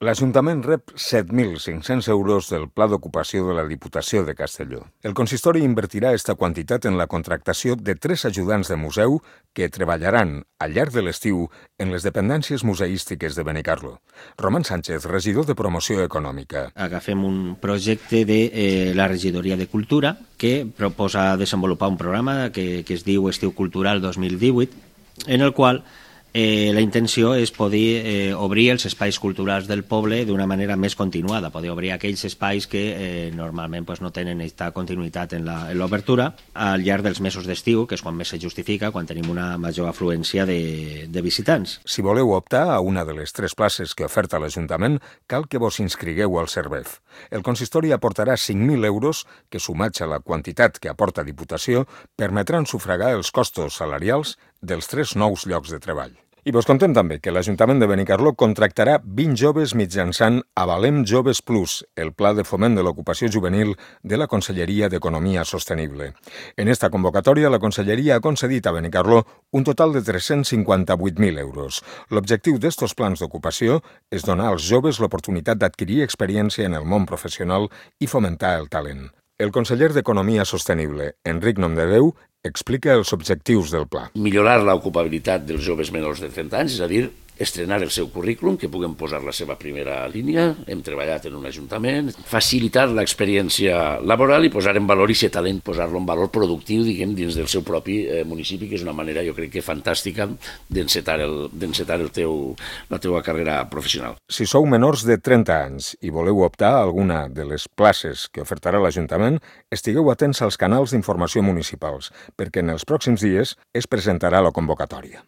L'Ajuntament rep 7.500 euros del Pla d'Ocupació de la Diputació de Castelló. El consistori invertirà aquesta quantitat en la contractació de 3 ajudants de museu que treballaran al llarg de l'estiu en les dependències museístiques de Benicarló. Roman Sánchez, regidor de Promoció Econòmica. Agafem un projecte de la Regidoria de Cultura que proposa desenvolupar un programa que es diu Estiu Cultural 2018, en el qual la intenció és poder obrir els espais culturals del poble d'una manera més continuada, poder obrir aquells espais que normalment no tenen aquesta continuïtat en l'obertura al llarg dels mesos d'estiu, que és quan més se justifica, quan tenim una major afluència de visitants. Si voleu optar a una de les 3 places que oferta l'Ajuntament, cal que vos inscrigueu al Servef. El consistori aportarà 5.000 euros que, sumats a la quantitat que aporta Diputació, permetran sufragar els costos salarials dels 3 nous llocs de treball. I vos contem també que l'Ajuntament de Benicarló contractarà 20 joves mitjançant Avalem Joves Plus, el pla de foment de l'ocupació juvenil de la Conselleria d'Economia Sostenible. En esta convocatòria, la Conselleria ha concedit a Benicarló un total de 358.000 euros. L'objectiu d'estos plans d'ocupació és donar als joves l'oportunitat d'adquirir experiència en el món professional i fomentar el talent. El conseller d'Economia Sostenible, Enric Nomdedeu, explica els objectius del pla. Millorar l'ocupabilitat dels joves menors de 30 anys, és a dir, estrenar el seu currículum, que puguen posar la seva primera línia, hem treballat en un ajuntament, facilitar l'experiència laboral i posar en valor aquest talent, posar-lo en valor productiu, diguem, dins del seu propi municipi, que és una manera, jo crec que fantàstica d'encetar la teua carrera professional. Si sou menors de 30 anys i voleu optar a alguna de les places que ofertarà l'Ajuntament, estigueu atents als canals d'informació municipals, perquè en els pròxims dies es presentarà la convocatòria.